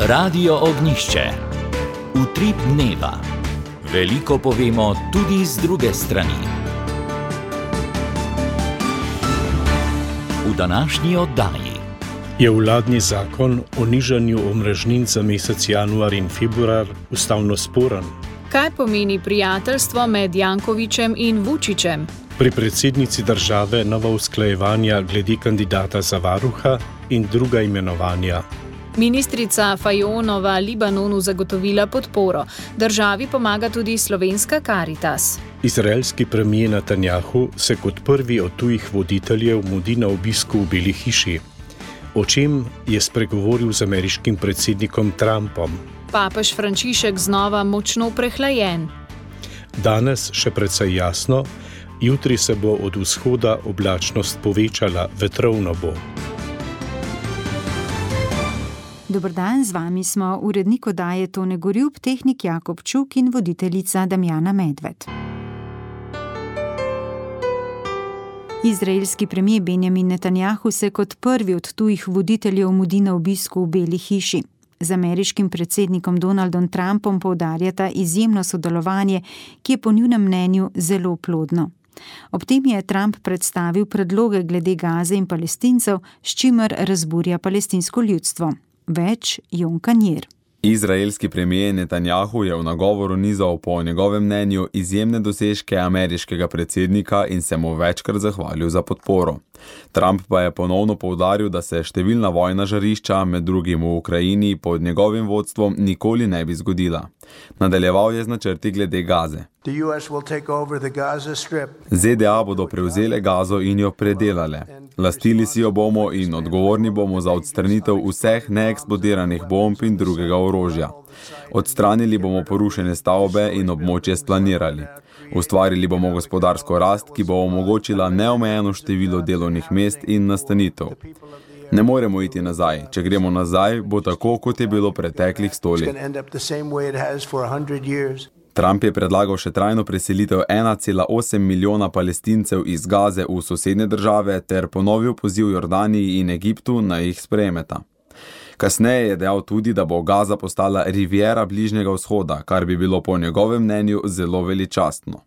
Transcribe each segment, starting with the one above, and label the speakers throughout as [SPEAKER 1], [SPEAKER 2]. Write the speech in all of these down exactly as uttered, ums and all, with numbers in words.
[SPEAKER 1] Radio Ognišče. Utrip dneva. Veliko povemo tudi z druge strani. V današnji oddaji
[SPEAKER 2] je vladni zakon o nižanju omrežnin za mesec januar in februar ustavno sporen.
[SPEAKER 3] Kaj pomeni prijateljstvo med Jankovićem in Vučićem?
[SPEAKER 2] Pri predsednici države nova usklajevanja glede kandidata za varuha in druga imenovanja.
[SPEAKER 3] Ministrica Fajonova Libanonu zagotovila podporo. Državi pomaga tudi slovenska Karitas.
[SPEAKER 2] Izraelski premijer Netanjahu se kot prvi od tujih voditeljev mudi na obisku v Beli hiši. O čem je spregovoril z ameriškim predsednikom Trumpom?
[SPEAKER 3] Papež Frančišek znova močno prehlajen.
[SPEAKER 2] Danes še precej jasno, jutri se bo od vzhoda oblačnost povečala, vetrovno bo.
[SPEAKER 4] Dober dan, z vami smo urednik oddaje Tone Gorjup, tehnik Jakob Čuk in voditeljica Damjana Medved. Izraelski premijer Benjamin Netanjahu se kot prvi od tujih voditeljev mudi na obisku v Beli hiši. Z ameriškim predsednikom Donaldom Trumpom poudarjata izjemno sodelovanje, ki je po njunem mnenju zelo plodno. Ob tem je Trump predstavil predloge glede Gaze in Palestincev, s čimer razburja palestinsko ljudstvo. Več Jon Kanjer.
[SPEAKER 5] Izraelski premijer Netanjahu je v nagovoru nizal po njegovem mnenju izjemne dosežke ameriškega predsednika in se mu večkrat zahvalil za podporo. Trump pa je ponovno poudaril, da se številna vojna žarišča, med drugim v Ukrajini, pod njegovim vodstvom nikoli ne bi zgodila. Nadaljeval je z načrti glede Gaze. Z D A bodo prevzele Gazo in jo predelale. Lastili si jo bomo in odgovorni bomo za odstranitev vseh neeksplodiranih bomb in drugega orožja. Odstranili bomo porušene stavbe in območje splanirali. Ustvarili bomo gospodarsko rast, ki bo omogočila neomejeno število delovnih mest in nastanitev. Ne moremo iti nazaj. Če gremo nazaj, bo tako, kot je bilo preteklih sto let. Trump je predlagal še trajno preselitev ena cela osem milijona Palestincev iz Gaze v sosednje države ter ponovil poziv Jordaniji in Egiptu, naj jih sprejmeta. Kasneje je dejal tudi, da bo Gaza postala riviera Bližnjega vzhoda, kar bi bilo po njegovem mnenju zelo veličastno.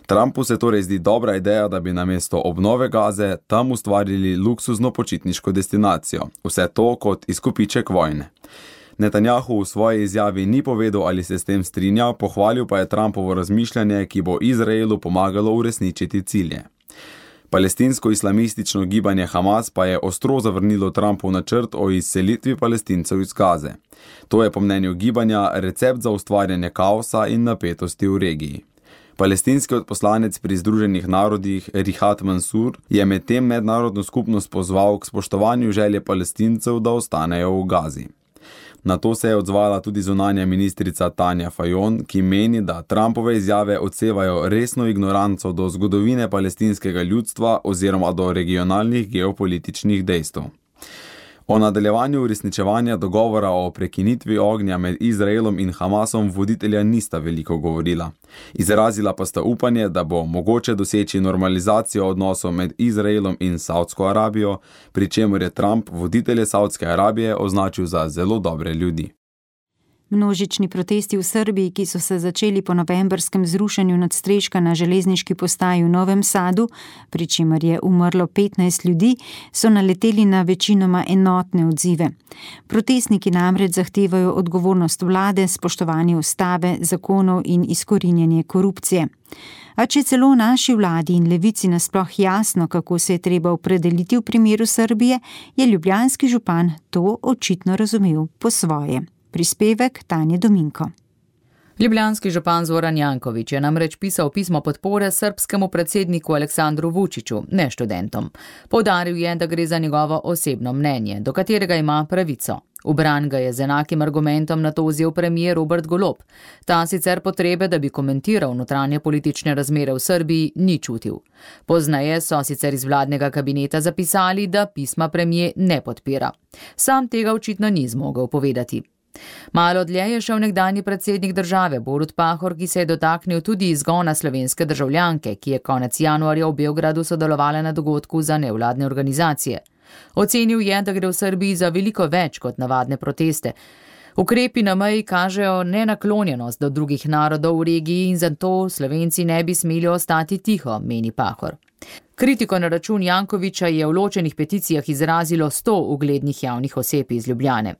[SPEAKER 5] Trumpu se torej zdi dobra ideja, da bi namesto obnove Gaze tam ustvarili luksuzno počitniško destinacijo. Vse to kot izkupiček vojne. Netanjahu v svoji izjavi ni povedal, ali se s tem strinja, pohvalil pa je Trumpovo razmišljanje, ki bo Izraelu pomagalo uresničiti cilje. Palestinsko-islamistično gibanje Hamas pa je ostro zavrnilo Trumpov načrt o izselitvi Palestincev iz Gaze. To je po mnenju gibanja recept za ustvarjanje kaosa in napetosti v regiji. Palestinski odposlanec pri Združenih narodih Rihat Mansur je medtem mednarodno skupnost pozval k spoštovanju želje Palestincev, da ostanejo v Gazi. Na to se je odzvala tudi zunanja ministrica Tanja Fajon, ki meni, da Trumpove izjave odsevajo resno ignoranco do zgodovine palestinskega ljudstva oziroma do regionalnih geopolitičnih dejstev. O nadaljevanju uresničevanja dogovora o prekinitvi ognja med Izraelom in Hamasom voditelja nista veliko govorila. Izrazila pa sta upanje, da bo mogoče doseči normalizacijo odnosov med Izraelom in Saudsko Arabijo, pri čemer je Trump voditelje Saudske Arabije označil za zelo dobre ljudi.
[SPEAKER 4] Množični protesti v Srbiji, ki so se začeli po novembrskem zrušenju nadstreška na železniški postaji v Novem Sadu, pri čemer je umrlo petnajst ljudi, so naleteli na večinoma enotne odzive. Protestniki namreč zahtevajo odgovornost vlade, spoštovanje ustave, zakonov in izkorinjanje korupcije. A če celo naši vladi in levici nasploh jasno, kako se je treba opredeliti v primeru Srbije, je ljubljanski župan to očitno razumel po svoje. Prispevek Tanje Dominko.
[SPEAKER 6] Ljubljanski župan Zoran Janković je namreč pisal pismo podpore srbskemu predsedniku Aleksandru Vučiću, ne študentom. Poudaril je, da gre za njegovo osebno mnenje, do katerega ima pravico. V bran ga je z enakim argumentom nato vzel premijer Robert Golob. Ta sicer potrebe, da bi komentiral notranje politične razmere v Srbiji, ni čutil. Poznaje so sicer iz vladnega kabineta zapisali, da pisma premijer ne podpira. Sam tega očitno ni zmogel povedati. Malo dlje je šel nekdanji predsednik države Borut Pahor, ki se je dotaknil tudi izgona slovenske državljanke, ki je konec januarja v Beogradu sodelovala na dogodku za nevladne organizacije. Ocenil je, da gre v Srbiji za veliko več kot navadne proteste. Ukrepi na meji kažejo nenaklonjenost do drugih narodov v regiji in zato Slovenci ne bi smeli ostati tiho, meni Pahor. Kritiko na račun Jankovića je v ločenih peticijah izrazilo sto uglednih javnih oseb iz Ljubljane.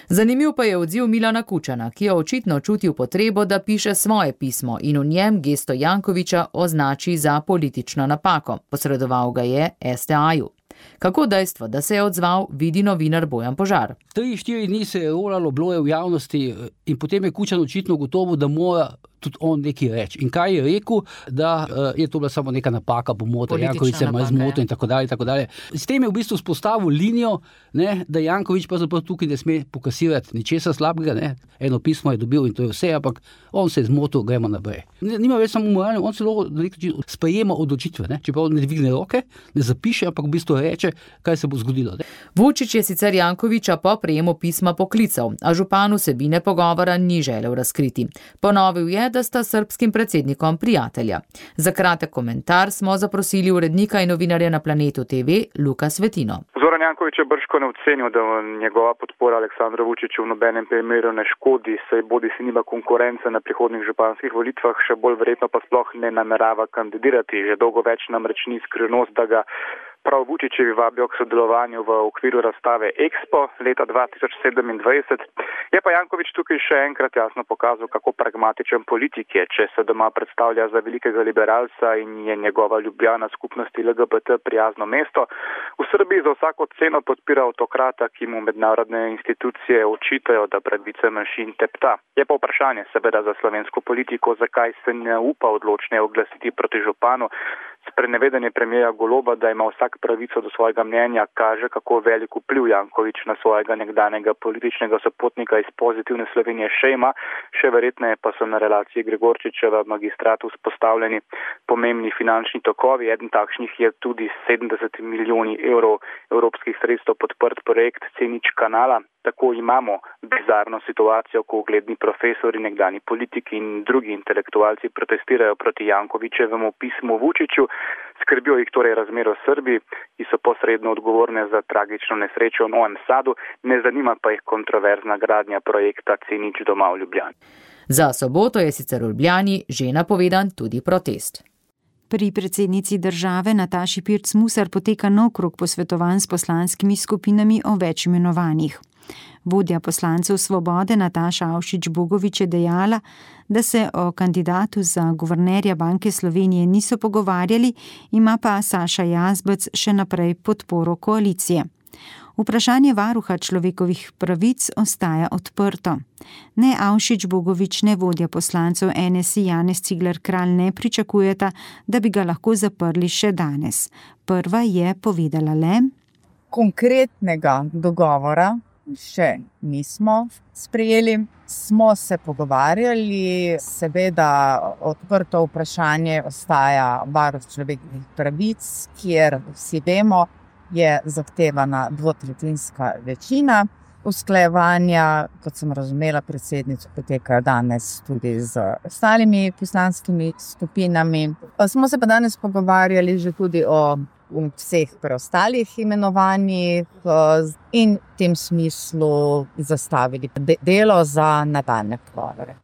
[SPEAKER 6] Zanimiv pa je odziv Milana Kučana, ki je očitno čutil potrebo, da piše svoje pismo in v njem gesto Jankovića označi za politično napako. Posredoval ga je S T A-ju. Kako dejstvo, da se je odzval, vidi novinar Bojan Požar.
[SPEAKER 7] Tri, štiri dni se je rolalo, bilo je v javnosti in potem je Kučan očitno gotovo, da mora tudi on nekaj reči. In kaj je rekel, da uh, je to bila samo neka napaka, pomota, Janković se ima zmotil in tako dalje, tako dalje. S tem je v bistvu spostavil linijo, ne, da Janković pa zapravo tukaj ne sme pokasirati ničesar slabega, ne. Eno pismo je dobil in to je vse, ampak on se je zmotil, gremo naprej. Nima več samo moralno, on celo sprejema odločitve, ne. Čeprav ne dvigne roke, ne zapiše, ampak v bistvu reče, kaj se bo zgodilo. Ne.
[SPEAKER 6] Vučić je sicer Jankovića po prejemu pisma poklical, a župan vsebine pogovora ni želel razkriti. Ponovil je, da sta srbskim predsednikom prijatelja. Za kratek komentar smo zaprosili urednika in novinarja na Planetu T V Luka Svetino.
[SPEAKER 8] Zoran Janković je bržkone ocenil, da njegova podpora Aleksandru Vučiću v nobenem primeru ne škodi, saj bodi si nima konkurence na prihodnjih županskih volitvah, še bolj verjetno pa sploh ne namerava kandidirati. Že dolgo več namreč ni skrivnost, da ga prav Vučićevi vabijo k sodelovanju v okviru razstave Expo leta dva tisoč sedemindvajset. Je pa Janković tukaj še enkrat jasno pokazal, kako pragmatičen politik je, če se doma predstavlja za velikega liberalca in je njegova Ljubljana skupnosti L G B T prijazno mesto. V Srbiji za vsako ceno podpira avtokrata, ki mu mednarodne institucije očitajo, da pravice manjšin tepta. Je pa vprašanje seveda za slovensko politiko, zakaj se ne upa odločneje oglasiti proti županu. Sprenevedanje premierja Goloba, da ima vsak pravico do svojega mnenja, kaže, kako velik vpliv Janković na svojega nekdanjega političnega sopotnika iz Pozitivne Slovenije še ima, še verjetneje pa so na relaciji Gregorčičeva magistratu vzpostavljeni pomembni finančni tokovi. Eden takšnih je tudi sedemdeset milijoni evrov evropskih sredstev podprt projekt C nič kanala. Tako imamo bizarno situacijo, ko ugledni profesori, nekdani politiki in drugi intelektualci protestirajo proti Jankovićevemu pismu Vučiću, skrbijo jih torej razmero v Srbiji, ki so posredno odgovorne za tragično nesrečo v Novem Sadu, ne zanima pa jih kontroverzna gradnja projekta C nič doma v Ljubljani.
[SPEAKER 6] Za soboto je sicer v Ljubljani že napovedan tudi protest.
[SPEAKER 4] Pri predsednici države Nataši Pirc Musar poteka nov krog posvetovanj s poslanskimi skupinami o več imenovanjih. Vodja poslancev Svobode Nataša Avšič Bogovič je dejala, da se o kandidatu za guvernerja Banke Slovenije niso pogovarjali, ima pa Saša Jazbec še naprej podporo koalicije. Vprašanje varuha človekovih pravic ostaja odprto. Ne Avšič Bogovič, ne vodja poslancev N S I Janez Cigler Kralj ne pričakujeta, da bi ga lahko zaprli še danes. Prva je povedala le:
[SPEAKER 9] Konkretnega dogovora še nismo sprejeli. Smo se pogovarjali, seveda odprto vprašanje ostaja varuh človekovih pravic, kjer vsi vemo, je zahtevana dvotretjinska večina. Usklajevanja, kot sem razumela, predsednico potekajo danes tudi z ostalimi poslanskimi skupinami. Smo se pa danes pogovarjali že tudi o vseh preostalih imenovanjih in v tem smislu zastavili delo za nadaljnje pogovore.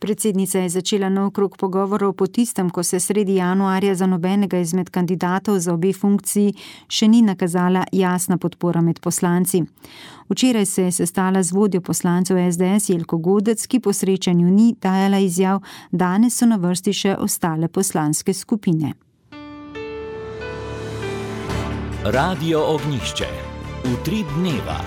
[SPEAKER 4] Predsednica je začela nov krog pogovorov po tistem, ko se sredi januarja za nobenega izmed kandidatov za obe funkciji še ni nakazala jasna podpora med poslanci. Včeraj se je sestala z vodjo poslancev S D S Jelko Godec, ki po srečanju ni dajala izjav, danes so na vrsti še ostale poslanske skupine.
[SPEAKER 1] Radio Ognjišče. Utrip dneva.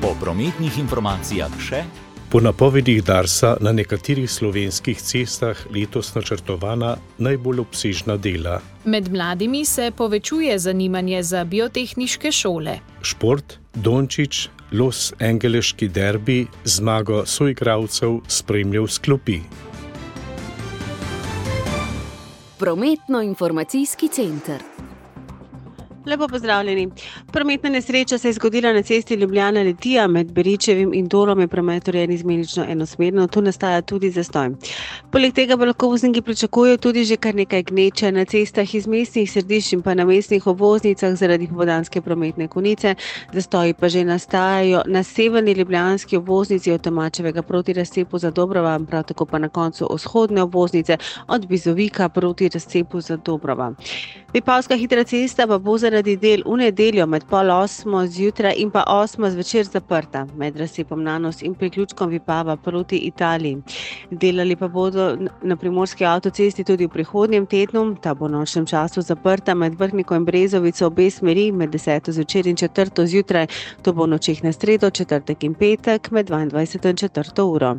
[SPEAKER 1] Po prometnih informacijah še...
[SPEAKER 2] Po napovedih Darsa na nekaterih slovenskih cestah letos načrtovana najbolj obsežna dela.
[SPEAKER 3] Med mladimi se povečuje zanimanje za biotehniške šole.
[SPEAKER 2] Šport, Dončić, Los Angeleški derbi, zmago soigralcev spremljal s klopi.
[SPEAKER 10] Prometno-informacijski center. Lepo pozdravljeni. Prometna nesreča se je zgodila na cesti Ljubljana-Litija med Beričevim in Dolom, je promet urejen izmenično enosmerno, tu nastaja tudi zastoj. Poleg tega pa lahko vozniki pričakujejo tudi že kar nekaj gneče na cestah iz mestnih središč in pa na mestnih obvoznicah zaradi popoldanske prometne konice. Zastoji pa že nastajajo na severni ljubljanski obvoznici od Tomačevega proti razcepu za Dobrova, prav tako pa na koncu vzhodne obvoznice od Bizovika proti razcepu za Dobrova. Vipavska hitra cesta pa bo zaradi del v nedeljo med pol osmo zjutraj in pa osmo zvečer zaprta med razcepom Nanos in priključkom Vipava proti Italiji. Delali pa bodo na primorski avtocesti tudi v prihodnjem tednu. Ta bo v nočnem času zaprta med Vrhniko in Brezovico obe smeri med deseto zvečer in četrto zjutraj. To bo v nočeh na sredo, četrtek in petek med dvaindvajseto in četrto uro.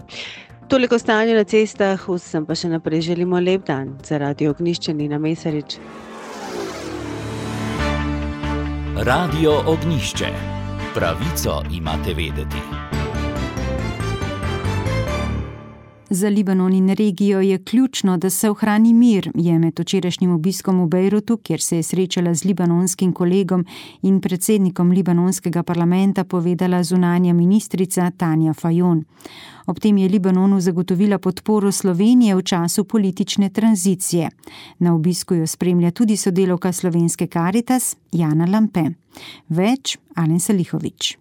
[SPEAKER 10] Toliko stanja na cestah, vsem pa še naprej želimo lep dan. Za Radio Ognjišče Nina Mesarič.
[SPEAKER 1] Radio Ognjišče. Pravico imate vedeti.
[SPEAKER 4] Za Libanon in regijo je ključno, da se ohrani mir, je med včerajšnjim obiskom v Bejrutu, kjer se je srečala z libanonskim kolegom in predsednikom libanonskega parlamenta, povedala zunanja ministrica Tanja Fajon. Ob tem je Libanonu zagotovila podporo Slovenije v času politične tranzicije. Na obisku jo spremlja tudi sodelavka slovenske Karitas Jana Lampe. Več Alen Salihović.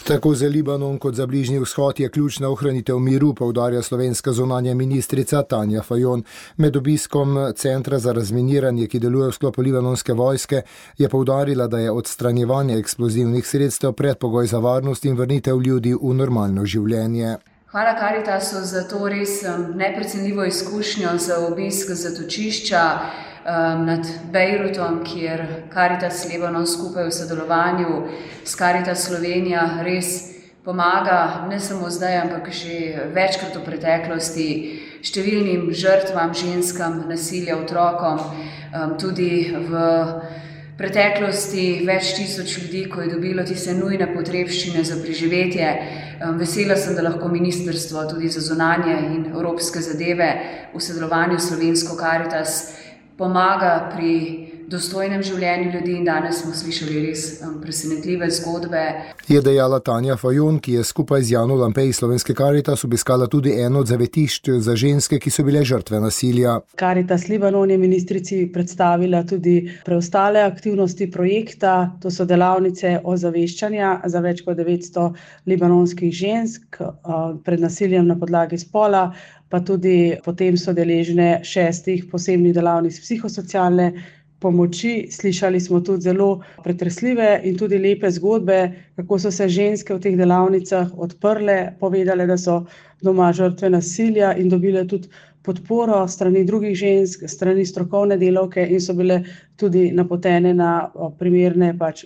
[SPEAKER 11] Tako za Libanon kot za Bližnji vzhod je ključna ohranitev miru, poudarja slovenska zunanja ministrica Tanja Fajon. Med obiskom Centra za razminiranje, ki deluje v sklopu libanonske vojske, je poudarila, da je odstranjevanje eksplozivnih sredstev predpogoj za varnost in vrnitev ljudi v normalno življenje.
[SPEAKER 12] Hvala Karitasu za to res neprecenljivo izkušnjo za obisk zatočišča um, nad Bejrutom, kjer Karitas Libanon skupaj v sodelovanju s Karitas Slovenija res pomaga ne samo zdaj, ampak že večkrat v preteklosti številnim žrtvam, ženskam, nasilja, otrokom, um, tudi v preteklosti več tisoč ljudi, ko je dobilo tiste nujne potrebščine za preživetje. Vesela sem, da lahko ministrstvo tudi za zunanje in evropske zadeve v sodelovanju s slovensko Karitas pomaga pri dostojnem življenju ljudi in danes smo slišali res presenetljive zgodbe.
[SPEAKER 11] Je dejala Tanja Fajon, ki je skupaj z Jano Lampe iz slovenske Karitas obiskala tudi eno od zavetišč za ženske, ki so bile žrtve nasilja.
[SPEAKER 13] Karitas Libanon je ministrici predstavila tudi preostale aktivnosti projekta. To so delavnice ozaveščanja za več kot devetsto libanonskih žensk pred nasiljem na podlagi spola, pa tudi potem so deležne šestih posebnih delavnic psihosocialne pomoči. Slišali smo tudi zelo pretresljive in tudi lepe zgodbe, kako so se ženske v teh delavnicah odprle, povedale, da so doma žrtve nasilja in dobile tudi podporo strani drugih žensk, strani strokovne delavke in so bile tudi napotene na primerne pač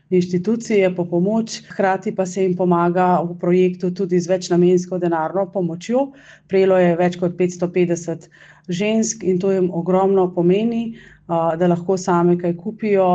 [SPEAKER 13] inštitucije po pomoč. Hkrati pa se jim pomaga v projektu tudi z večnamensko denarno pomočjo. Prejelo je več kot petsto petdeset žensk in to jim ogromno pomeni, da lahko same kaj kupijo,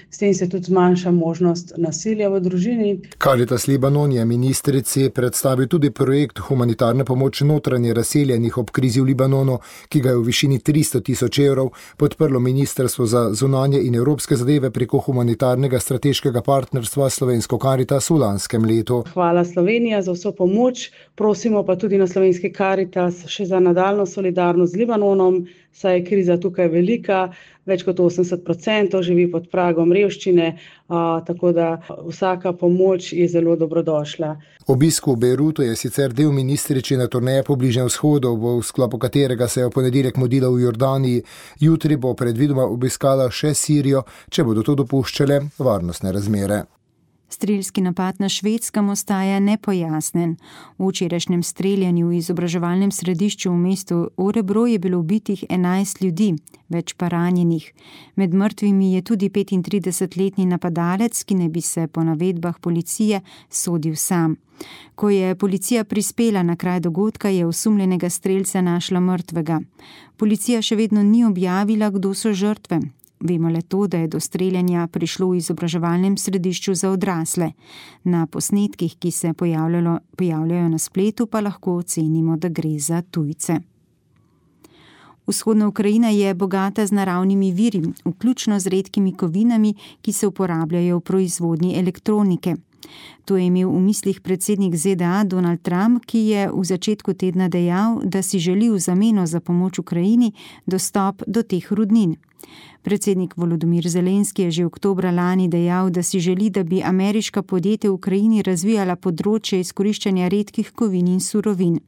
[SPEAKER 13] s tem se tudi zmanjša možnost nasilja v družini.
[SPEAKER 11] Karitas Libanon je ministrici predstavil tudi projekt humanitarne pomoči notranje razseljenih ob krizi v Libanonu, ki ga je v višini tristo tisoč evrov podprlo Ministrstvo za zunanje in evropske zadeve preko humanitarnega strateškega partnerstva slovensko Karitas v lanskem letu.
[SPEAKER 13] Hvala Slovenija za vso pomoč, prosimo pa tudi na slovenski Karitas še za nadaljnjo solidarnost z Libanonom, saj je kriza tukaj velika, več kot osemdeset procentov živi pod pragom revščine, a, tako da vsaka pomoč je zelo dobrodošla.
[SPEAKER 11] Obisk v Bejrutu je sicer del ministričine turneje po Bližnjem vzhodu, v sklopu katerega se je v ponedeljek mudila v Jordaniji. Jutri bo predvidoma obiskala še Sirijo, če bodo to dopuščale varnostne razmere.
[SPEAKER 4] Strelski napad na Švedskem ostaja nepojasnen. V včerajšnjem streljanju v izobraževalnem središču v mestu Örebro je bilo ubitih enajst ljudi, več pa ranjenih. Med mrtvimi je tudi petintridesetletni napadalec, ki naj bi se po navedbah policije sodil sam. Ko je policija prispela na kraj dogodka, je osumljenega strelca našla mrtvega. Policija še vedno ni objavila, kdo so žrtve. Vemo le to, da je do streljanja prišlo v izobraževalnem središču za odrasle. Na posnetkih, ki se pojavljajo na spletu, pa lahko ocenimo, da gre za tujce. Vzhodna Ukrajina je bogata z naravnimi viri, vključno z redkimi kovinami, ki se uporabljajo v proizvodnji elektronike. To je imel v mislih predsednik Z D A Donald Trump, ki je v začetku tedna dejal, da si želi v zameno za pomoč Ukrajini dostop do teh rudnin. Predsednik Volodymyr Zelenski je že oktobra lani dejal, da si želi, da bi ameriška podjetja v Ukrajini razvijala področje izkoriščanja redkih kovin in surovin.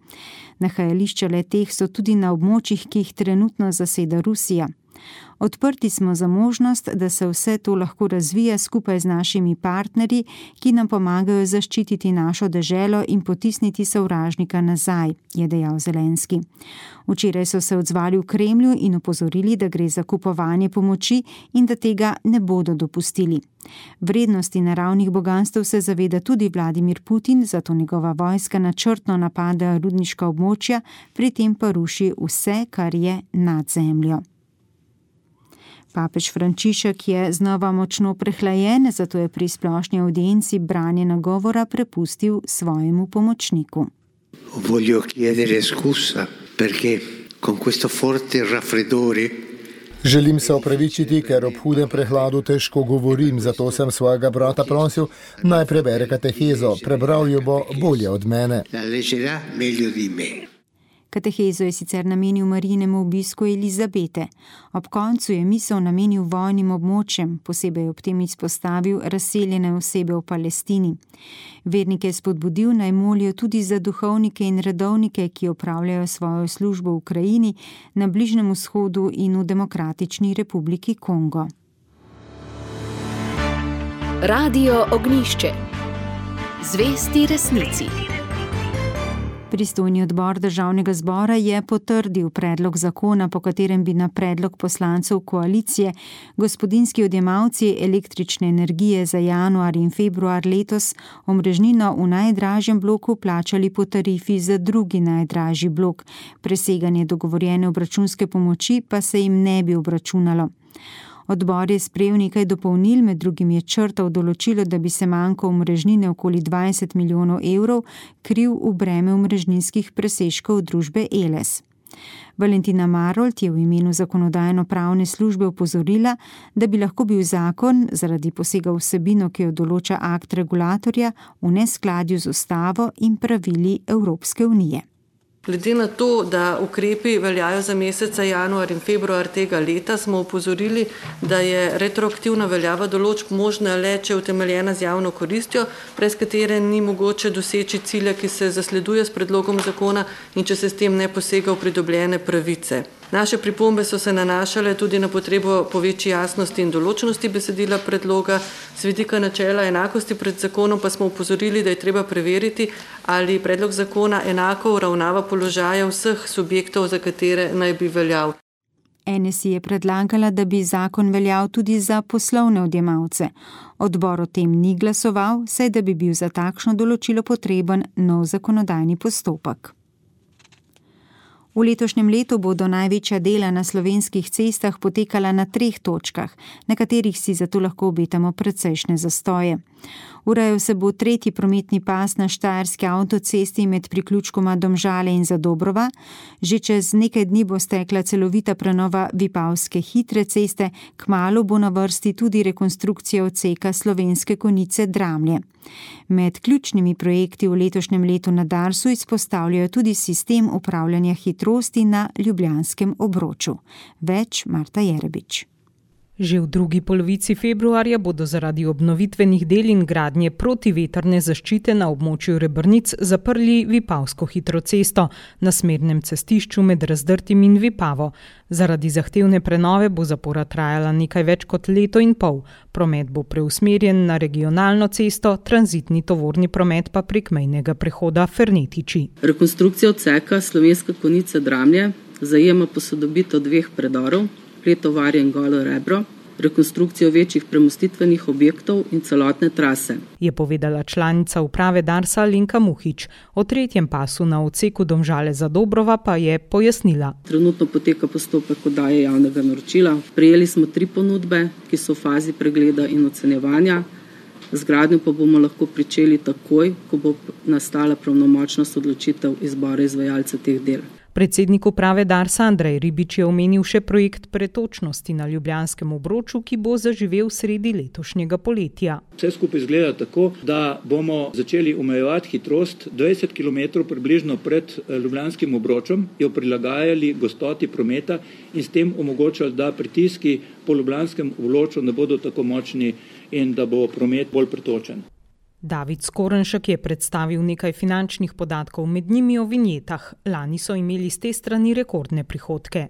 [SPEAKER 4] Nahajališča le-teh so tudi na območjih, ki jih trenutno zaseda Rusija. Odprti smo za možnost, da se vse to lahko razvija skupaj z našimi partnerji, ki nam pomagajo zaščititi našo deželo in potisniti sovražnika nazaj, je dejal Zelenski. Včeraj so se odzvali v Kremlju in opozorili, da gre za kupovanje pomoči in da tega ne bodo dopustili. Vrednosti naravnih boganstv se zaveda tudi Vladimir Putin, zato njegova vojska načrtno napada rudniška območja, pri tem pa ruši vse, kar je nad zemljo. Papež Frančišek je znova močno prehlajen, zato je pri splošni audienci branje nagovora prepustil svojemu pomočniku.
[SPEAKER 14] Voglio chiedere scusa perché con questo forte raffreddore.
[SPEAKER 11] Želim se opravičiti, ker ob hudem prehladu težko govorim, zato sem svojega brata prosil, naj prebere katehezo. Prebral jo bo bolje od mene.
[SPEAKER 14] La leggerà meglio di me.
[SPEAKER 4] Katehezo je sicer namenil Marijinemu obisku Elizabete. Ob koncu je misel namenil vojnim območjem, posebej ob tem izpostavil razseljene osebe v Palestini. Vernike je spodbudil, naj molijo tudi za duhovnike in redovnike, ki opravljajo svojo službo v Ukrajini, na Bližnjem vzhodu in v Demokratični republiki Kongo.
[SPEAKER 3] Radio Ognjišče. Zvesti resnici.
[SPEAKER 4] Pristojni odbor Državnega zbora je potrdil predlog zakona, po katerem bi na predlog poslancev koalicije gospodinjski odjemalci električne energije za januar in februar letos omrežnino v najdražjem bloku plačali po tarifi za drugi najdražji blok. Preseganje dogovorjene obračunske pomoči pa se jim ne bi obračunalo. Odbor je sprejel nekaj dopolnil, med drugim je črtal določilo, da bi se manjko omrežnine okoli dvajset milijonov evrov kril v breme omrežninskih presežkov družbe Eles. Valentina Marolt je v imenu zakonodajno-pravne službe opozorila, da bi lahko bil zakon zaradi posega v vsebino, ki jo določa akt regulatorja, v neskladju z ustavo in pravili Evropske unije.
[SPEAKER 15] Glede na to, da ukrepi veljajo za meseca januar in februar tega leta, smo upozorili, da je retroaktivna veljava določb možna le, če je utemeljena z javno koristjo, brez katere ni mogoče doseči cilja, ki se zasleduje s predlogom zakona in če se s tem ne posega v pridobljene pravice. Naše pripombe so se nanašale tudi na potrebo po večji jasnosti in določnosti besedila predloga. Z vidika načela enakosti pred zakonom pa smo upozorili, da je treba preveriti, ali predlog zakona enako uravnava položaje vseh subjektov, za katere naj bi veljal.
[SPEAKER 4] N S I je predlagala, da bi zakon veljal tudi za poslovne odjemalce. Odbor o tem ni glasoval, saj da bi bil za takšno določilo potreben nov zakonodajni postopek. V letošnjem letu bodo največja dela na slovenskih cestah potekala na treh točkah, na katerih si zato lahko obetamo precejšnje zastoje. Urejal se bo tretji prometni pas na štajerski avtocesti med priključkoma Domžale in Zadobrova. Že čez nekaj dni bo stekla celovita prenova Vipavske hitre ceste, kmalu bo na vrsti tudi rekonstrukcija odseka Slovenske Konjice Dramlje. Med ključnimi projekti v letošnjem letu na Darsu izpostavljajo tudi sistem upravljanja hitrosti na Ljubljanskem obroču. Več Marta Jerebič.
[SPEAKER 16] Že v drugi polovici februarja bodo zaradi obnovitvenih del in gradnje protivetrne zaščite na območju Rebrnic zaprli Vipavsko hitro cesto na smernem cestišču med Razdrtim in Vipavo. Zaradi zahtevne prenove bo zapora trajala nekaj več kot leto in pol. Promet bo preusmerjen na regionalno cesto, tranzitni tovorni promet pa prek mejnega prehoda Fernetiči.
[SPEAKER 17] Rekonstrukcija odseka Slovenska Konjica Dramlje zajema posodobitev dveh predorov, Pletovarje in Golo Rebro, rekonstrukcijo večjih premostitvenih objektov in celotne trase.
[SPEAKER 16] Je povedala članica uprave Darsa Alenka Muhič. O tretjem pasu na odseku Domžale Zadobrova pa je pojasnila.
[SPEAKER 17] Trenutno poteka postopek oddaje javnega naročila. Prejeli smo tri ponudbe, ki so v fazi pregleda in ocenjevanja. Z gradnjo pa bomo lahko pričeli takoj, ko bo nastala pravnomočnost odločitev izbora izvajalca teh del.
[SPEAKER 16] Predsednik uprave Darsa Andrej Ribič je omenil še projekt pretočnosti na Ljubljanskem obroču, ki bo zaživel sredi letošnjega poletja.
[SPEAKER 18] Vse skupaj izgleda tako, da bomo začeli omejevati hitrost dvajset kilometrov približno pred Ljubljanskim obročem, jo prilagajali gostoti prometa in s tem omogočali, da pritiski po Ljubljanskem obroču ne bodo tako močni in da bo promet bolj pretočen.
[SPEAKER 16] David Skornšek je predstavil nekaj finančnih podatkov, med njimi o vinjetah. Lani so imeli z te strani rekordne prihodke.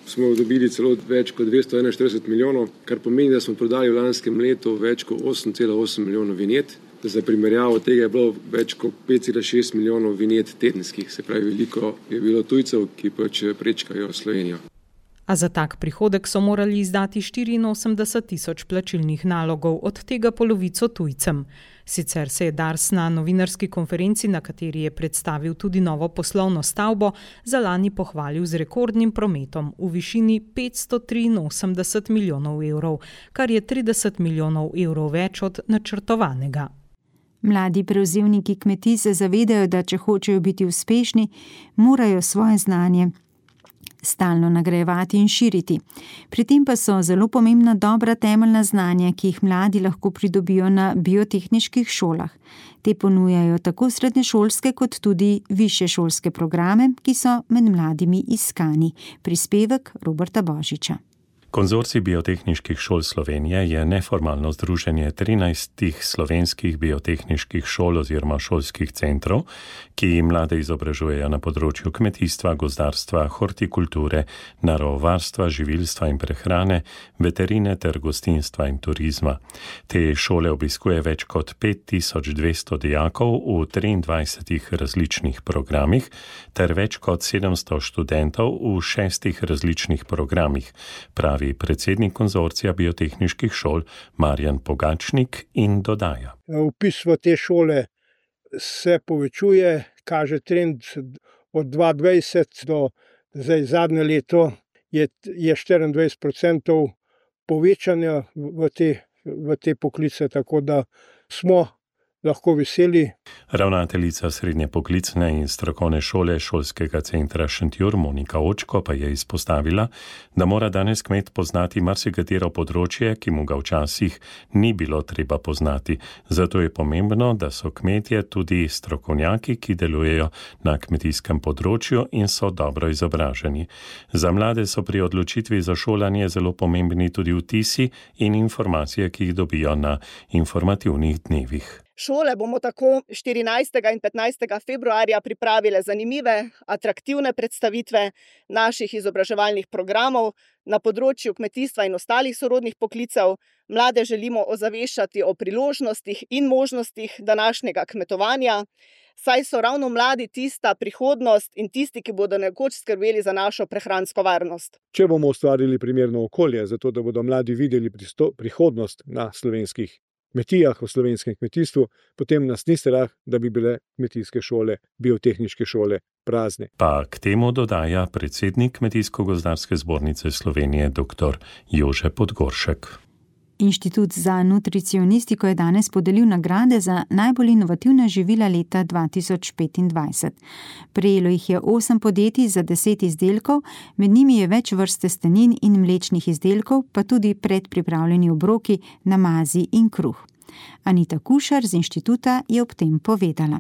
[SPEAKER 19] Smo dobili celo več kot dvesto enainštirideset milijonov, kar pomeni, da smo prodali v lanskem letu več kot osem cela osem milijonov vinjet. Za primerjavo tega je bilo več kot pet cela šest milijonov vinjet tedenskih, se pravi veliko je bilo tujcev, ki pač prečkajo Slovenijo.
[SPEAKER 16] A za tak prihodek so morali izdati štiriinosemdeset tisoč plačilnih nalogov, od tega polovico tujcem. Sicer se je Dars na novinarski konferenci, na kateri je predstavil tudi novo poslovno stavbo, za lani pohvalil z rekordnim prometom v višini petsto triinosemdeset milijonov evrov, kar je trideset milijonov evrov več od načrtovanega.
[SPEAKER 4] Mladi prevzemniki kmetij se zavedajo, da če hočejo biti uspešni, morajo svoje znanje stalno nagrajevati in širiti. Pri tem pa so zelo pomembna dobra temeljna znanja, ki jih mladi lahko pridobijo na biotehniških šolah. Te ponujajo tako srednješolske kot tudi višješolske programe, ki so med mladimi iskani. Prispevek Roberta Božiča.
[SPEAKER 20] Konzorcij biotehniških šol Slovenije je neformalno združenje trinajstih slovenskih biotehniških šol oziroma šolskih centrov, ki mlade izobražujejo na področju kmetijstva, gozdarstva, hortikulture, naravovarstva, živilstva in prehrane, veterine ter gostinstva in turizma. Te šole obiskuje več kot pet tisoč dvesto dijakov v triindvajsetih različnih programih ter več kot sedemsto študentov v šestih različnih programih, pravi predsednik konzorcija biotehniških šol Marjan Pogačnik in dodaja.
[SPEAKER 21] Vpis v te šole se povečuje, kaže trend od dva tisoč dvajset do zdaj zadnje leto je, je štiriindvajset procentov povečanja v te, v te poklice, tako da smo lahko veseli.
[SPEAKER 20] Ravnateljica srednje poklicne in strokovne šole šolskega centra Šentjur Monika Očko pa je izpostavila, da mora danes kmet poznati marsikatero področje, ki mu ga včasih ni bilo treba poznati. Zato je pomembno, da so kmetje tudi strokovnjaki, ki delujejo na kmetijskem področju in so dobro izobraženi. Za mlade so pri odločitvi za šolanje zelo pomembni tudi vtisi in informacije, ki jih dobijo na informativnih dnevih.
[SPEAKER 22] Šole bomo tako štirinajstega in petnajstega februarja pripravile zanimive, atraktivne predstavitve naših izobraževalnih programov na področju kmetijstva in ostalih sorodnih poklicev. Mlade želimo ozaveščati o priložnostih in možnostih današnjega kmetovanja, saj so ravno mladi tista prihodnost in tisti, ki bodo nekoč skrbeli za našo prehransko varnost.
[SPEAKER 21] Če bomo ustvarili primerno okolje, zato da bodo mladi videli prihodnost na slovenskih kmetijah, v slovenskem kmetijstvu, potem nas ni strah, da bi bile kmetijske šole, biotehniške šole prazne.
[SPEAKER 20] Pa k temu dodaja predsednik Kmetijsko-gozdarske zbornice Slovenije dr. Jože Podgoršek.
[SPEAKER 4] Inštitut za nutricionistiko je danes podelil nagrade za najbolj inovativna živila leta dva tisoč petindvajset. Prejelo jih je osem podjetij za deset izdelkov, med njimi je več vrst testenin in mlečnih izdelkov, pa tudi predpripravljeni obroki, namazi in kruh. Anita Kušar z inštituta je ob tem povedala.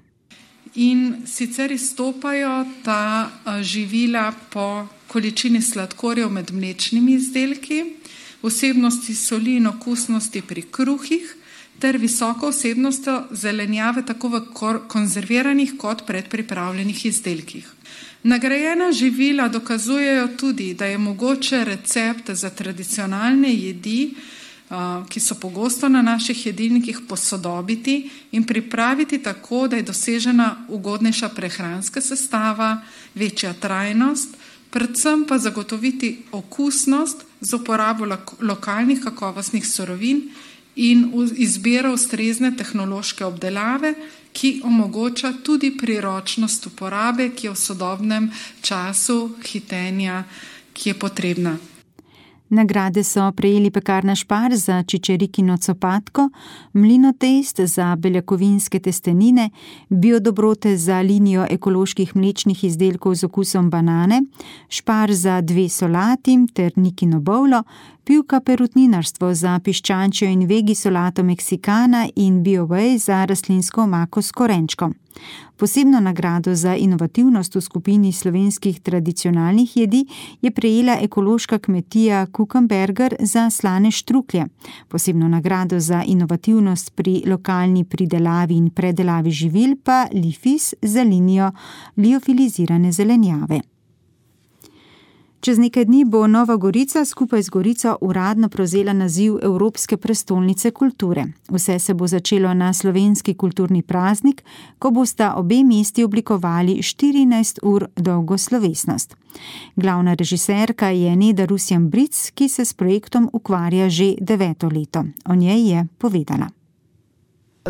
[SPEAKER 23] In sicer izstopajo ta živila po količini sladkorjev med mlečnimi izdelki, vsebnosti soli in okusnosti pri kruhih ter visoko vsebnostjo zelenjave tako v konzerviranih kot predpripravljenih izdelkih. Nagrajena živila dokazujejo tudi, da je mogoče recept za tradicionalne jedi, ki so pogosto na naših jedilnikih, posodobiti in pripraviti tako, da je dosežena ugodnejša prehranska sestava, večja trajnost, predvsem pa zagotoviti okusnost z uporabo lokalnih kakovostnih surovin in izbiro ustrezne tehnološke obdelave, ki omogoča tudi priročnost uporabe, ki je v sodobnem času hitenja, ki je potrebna.
[SPEAKER 4] Nagrade so prejeli Pekarna Špar za čičerikino copatko, Mlinotest za beljakovinske testenine, Biodobrote za linijo ekoloških mlečnih izdelkov z okusom banane, Špar za dve solati ter Nikino bovlo, Pivka perutninarstvo za piščančjo in vegi solato Meksikana in BioWay za rastlinsko omako s korenčkom. Posebno nagrado za inovativnost v skupini slovenskih tradicionalnih jedi je prejela ekološka kmetija Kukenberger za slane štruklje. Posebno nagrado za inovativnost pri lokalni pridelavi in predelavi živil pa Lifis za linijo liofilizirane zelenjave. Čez nekaj dni bo Nova Gorica skupaj z Gorico uradno prevzela naziv Evropske prestolnice kulture. Vse se bo začelo na slovenski kulturni praznik, ko bosta obe mesti oblikovali štirinajst ur dolgo slovesnost. Glavna režiserka je Neda Rusjan-Bric, ki se s projektom ukvarja že deveto leto. O njej je povedala.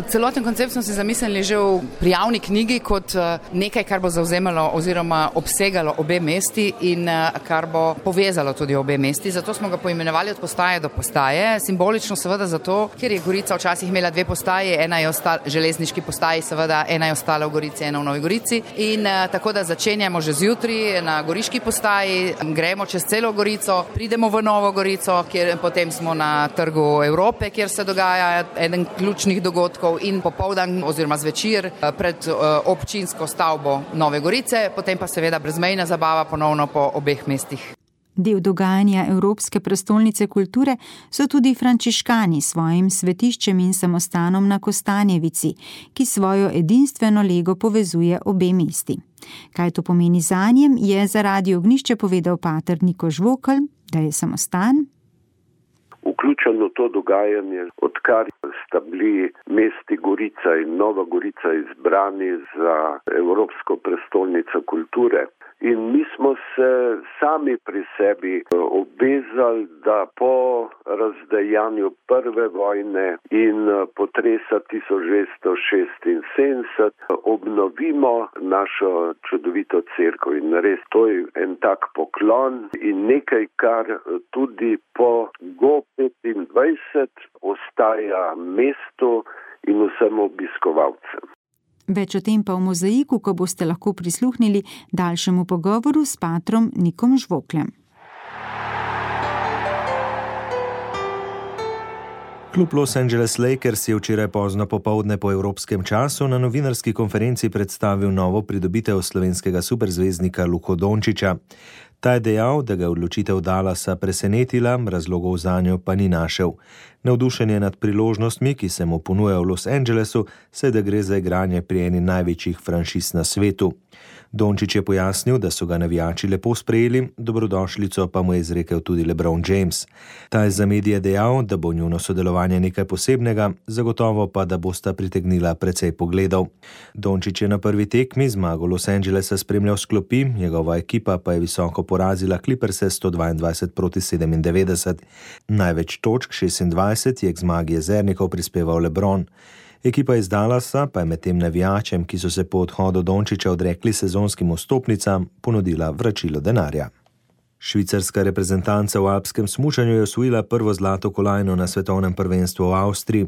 [SPEAKER 5] Celoten koncept smo si zamislili že v prijavni knjigi kot nekaj, kar bo zavzemalo oziroma obsegalo obe mesti in kar bo povezalo tudi obe mesti. Zato smo ga poimenovali od postaje do postaje. Simbolično seveda zato, ker je Gorica včasih imela dve postaji, ena je ostala železniški postaji, seveda ena je ostala v Gorici, ena v Novi Gorici. In tako da začenjamo že zjutraj na goriški postaji, gremo čez celo Gorico, pridemo v Novo Gorico, kjer potem smo na Trgu Evrope, kjer se dogaja eden ključnih dogodkov, in popoldan oziroma zvečer pred občinsko stavbo Nove Gorice, potem pa seveda brezmejna zabava ponovno po obeh mestih.
[SPEAKER 4] Del dogajanja Evropske prestolnice kulture so tudi frančiškani s svojim svetiščem in samostanom na Kostanjevici, ki svojo edinstveno lego povezuje obe mesti. Kaj to pomeni zanjem, je za Radio Ognjišče povedal pater Niko Žvokelj, da je samostan
[SPEAKER 7] vključeno to dogajanje, odkar sta bili mesti Gorica in Nova Gorica izbrani za Evropsko prestolnico kulture. In mi smo se sami pri sebi obvezali, da po razdejanju prve vojne in potresa tisoč devetsto šestinsedemdeset obnovimo našo čudovito cerkev. In res to je en tak poklon in nekaj, kar tudi po Go petindvajset ostaja mestu in vsem obiskovalcem.
[SPEAKER 4] Več o tem pa v mozaiku, ko boste lahko prisluhnili daljšemu pogovoru s patrom Nikom Žvokljem.
[SPEAKER 8] Klub Los Angeles Lakers je včeraj pozno popoldne po evropskem času na novinarski konferenci predstavil novo pridobitev slovenskega superzvezdnika Luko Dončića. Ta je dejal, da ga je odločitev Dallasa presenetila, razlogov zanjo pa ni našel. Navdušenje nad priložnostmi, ki se mu ponujajo v Los Angelesu, se da gre za igranje pri eni največjih franšiz na svetu. Dončić je pojasnil, da so ga navijači lepo sprejeli, dobrodošlico pa mu je izrekel tudi LeBron James. Ta je za medije dejal, da bo njuno sodelovanje nekaj posebnega, zagotovo pa, da bosta pritegnila precej pogledov. Dončić je na prvi tekmi zmago Los Angelesa spremljal s klopi, njegova ekipa pa je visoko porazila Clipperse sto dvaindvajset proti sedemindevetdeset. Največ točk šestindvajset je k zmagi jezernikov prispeval LeBron. Ekipa iz Dallasa pa je med tem navijačem, ki so se po odhodu Dončića odrekli sezonskim vstopnicam, ponudila vračilo denarja. Švicarska reprezentanca v alpskem smučanju je osvojila prvo zlato kolajno na svetovnem prvenstvu v Avstriji.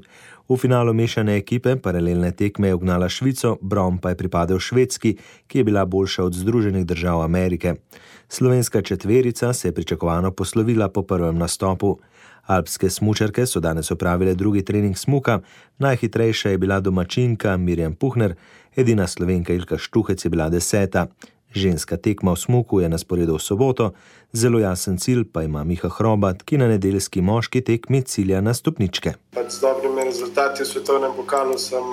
[SPEAKER 8] V finalu mešane ekipe paralelne tekme je ugnala Švico, bron pa je pripadel Švedski, ki je bila boljša od Združenih držav Amerike. Slovenska četverica se je pričakovano poslovila po prvem nastopu. Alpske smučarke so danes opravile drugi trening smuka, najhitrejša je bila domačinka Mirjam Puhner, edina Slovenka Ilka Štuhec je bila deseta. Ženska tekma v smuku je na sporedu v soboto, zelo jasen cilj pa ima Miha Hrobat, ki na nedeljski moški tekmi cilja na stopničke.
[SPEAKER 24] Z dobrimi rezultati v svetovnem pokalu sem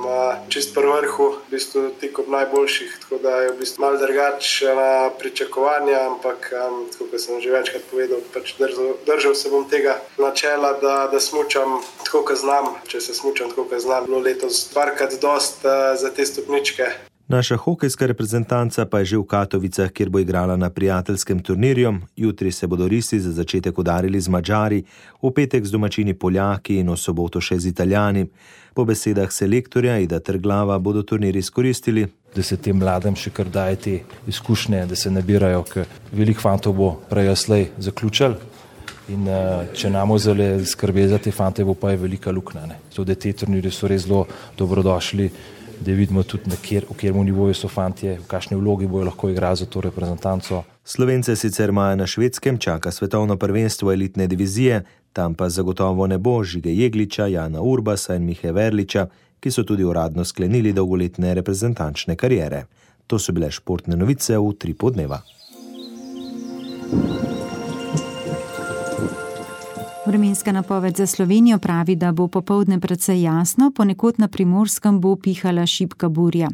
[SPEAKER 24] čist pri vrhu, v bistvu tik ob najboljših, tako da je v bistvu malo drugače na pričakovanja, ampak tako kot sem že večkrat povedal, pač držal, držal se bom tega načela, da, da smučam tako, kot znam. Če se smučam tako, kot znam, bilo letos dvarkrat dost za te stopničke.
[SPEAKER 8] Naša hokejska reprezentanca pa je že v Katovicah, kjer bo igrala na prijateljskem turnirju. Jutri se bodo risi za začetek udarili z Madžari, v petek z domačini Poljaki in v soboto še z Italijani. Po besedah selektorja Ida Trglava bodo turnir izkoristili,
[SPEAKER 25] da se tem mladim še kar daje te izkušnje, da se nabirajo, ker veliko fantov bo prej slej zaključil In če namo zelo skrbi za te fante, bo pa je velika luknja. To, da te turnirje so res zelo dobrodošli, da vidimo tudi, na kjer, v kjermu nivoju so fantje, v kakšni vlogi bojo lahko igrali za to reprezentanco.
[SPEAKER 8] Slovence sicer maja na Švedskem čaka svetovno prvenstvo elitne divizije, tam pa zagotovo ne bo Žige Jegliča, Jana Urbasa in Mihe Verliča, ki so tudi uradno sklenili dolgoletne reprezentančne kariere. To so bile športne novice v tri podneva.
[SPEAKER 4] Vremenska napoved za Slovenijo pravi, da bo popoldne precej jasno, ponekod na Primorskem bo pihala šibka burja.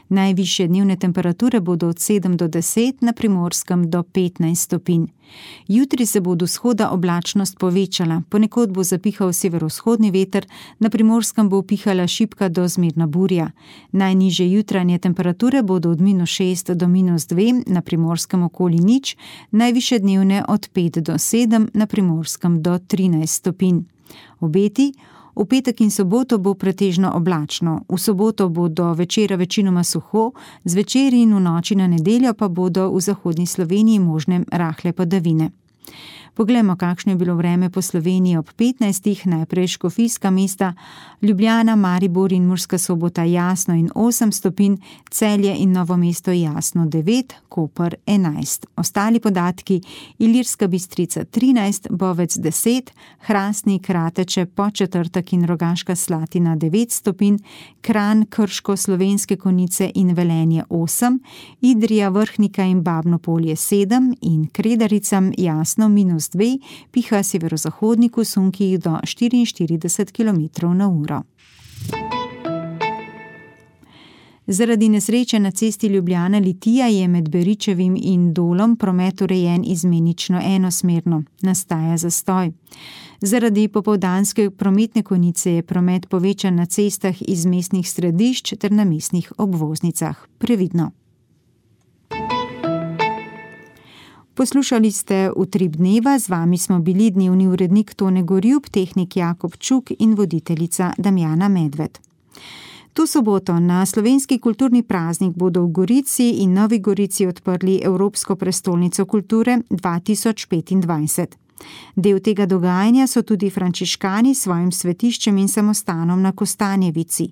[SPEAKER 4] Najvišje dnevne temperature bodo od sedem do deset, na Primorskem do petnajst stopinj. Jutri se bo od vzhoda oblačnost povečala, ponekod bo zapihal severovzhodni veter, na Primorskem bo pihala šibka do zmerna burja. Najnižje jutranje temperature bodo od minus šest do minus dve, na Primorskem okoli nič, najvišje dnevne od pet do sedem, na Primorskem do trinajst stopinj. Obeti: v petek in soboto bo pretežno oblačno, v soboto bo do večera večinoma suho, zvečer in v noči na nedeljo pa bodo v zahodni Sloveniji možne rahle padavine. Poglejmo, kakšno je bilo vreme po Sloveniji ob petnajstih, najprej škofijska mesta, Ljubljana, Maribor in Murska Sobota jasno in osem stopinj, Celje in Novo mesto jasno devet, Koper enajst. Ostali podatki: Ilirska Bistrica trinajst, Bovec deset, Hrastnik, Rateče, Podčetrtek in Rogaška Slatina devet stopinj, Kranj, Krško, Slovenske Konjice in Velenje osem, Idrija, Vrhnika in Babno Polje sedem in Kredaricam jasno minus dve, piha severozahodniku sunkih do štiriinštirideset kilometrov na uro. Zaradi nesreče na cesti Ljubljana-Litija je med Beričevim in Dolom promet urejen izmenično enosmerno. Nastaja zastoj. Zaradi popoldanske prometne konice je promet povečan na cestah iz mestnih središč ter na mestnih obvoznicah. Previdno. Poslušali ste Utrip dneva, z vami smo bili dnevni urednik Tone Gorjup, tehnik Jakob Čuk in voditeljica Damjana Medved. To soboto na slovenski kulturni praznik bodo v Gorici in Novi Gorici odprli Evropsko prestolnico kulture dva tisoč petindvajset. Del tega dogajanja so tudi frančiškani s svojim svetiščem in samostanom na Kostanjevici.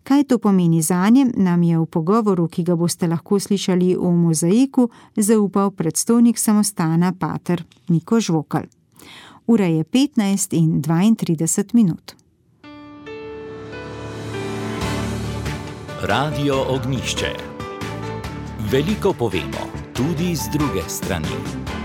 [SPEAKER 4] Kaj to pomeni zanje, nam je v pogovoru, ki ga boste lahko slišali v Mozaiku, zaupal predstojnik samostana pater Niko Žvokal. Ura je petnajst in dvaintrideset minut.
[SPEAKER 1] Radio Ognjišče. Veliko povemo, tudi z druge strani.